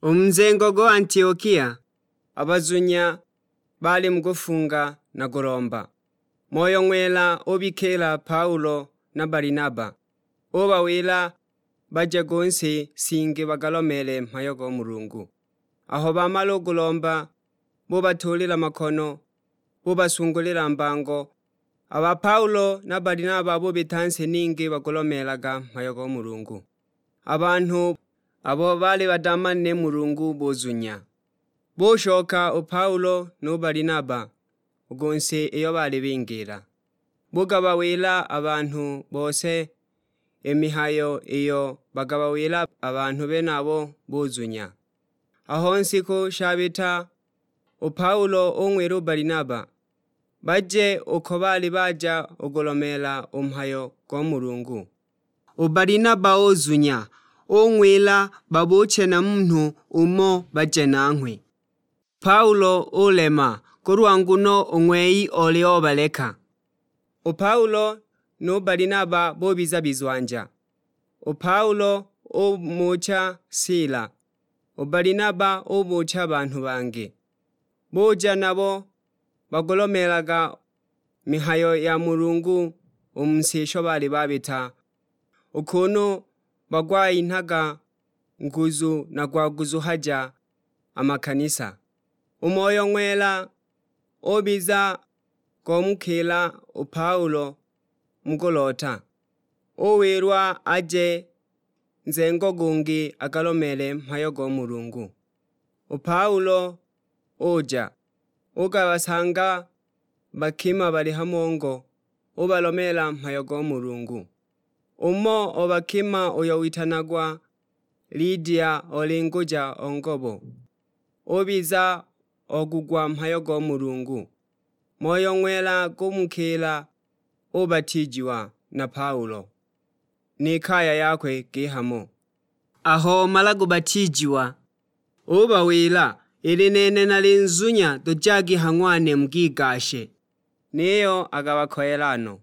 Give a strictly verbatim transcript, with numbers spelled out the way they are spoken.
U mu nzengo go Antiokia, a bazunya baali mu kufunga na kulomba. Moyo Ng'wela ubikiila Paulo na Balinaba, ubawila baje ku si shingi bagalomeele mhayo go Mulungu. Aho bamala u kulomba, bubatuulila makono, bubasungulila mbango. A ba Paulo na Balinaba bubita si ningi bagulomeelaga mhayo go Mulungu. A banhu abo baali badamanile Mulungu buzunya. Bushoka u Paulo nu Balinaba u ku si iyo baali bingila. Bugabawila a banhu bose i mihayo iyo bagabawila a banhu benabo buzunya. Aho nsiku shabita, u Paulo ung'wila u Balinaba baje uko baali baja ugulomeela u mhayo go Mulungu. U Balinaba uzunya, ung'wila babuche na munhu umo baje nanghwe. Paulo ulema, kulwa nguno u ng'wei oli obaleka. U Paulo nu Balinaba bubiza bizwanja. U Paulo umucha Sila, u Balinaba ubucha banhu bangi. Buja nabo bagulomeelaga mihayo ya Mulungu u mu si isho baali babita, u kunu bagwayinhaga nguzu na gwaguzuhaja a makanisa. U Moyo Ng'wela ubiza gomukiila u Paulo mu kuloota, uwilwa aje nzengo gungi agalomeele mhayo go Mulungu. U Paulo uja, ugabasanga bakima bali ha mongo, ubalomeela mhayo go Mulungu. Umo o bakima uyo witanagwa Lidia, olinguja o ngobo, ubiza ogugwa mhayo go Mulungu. Moyo Ng'wela gumukiila, ubatiijiwa na Paulo ni kaya yakwe gihamo. Aho omala kubatiijiwa, ubawila, "Ili nene nali nzunya, tujagi ha ng'wane mugigashe." Niyo agabakoyela no.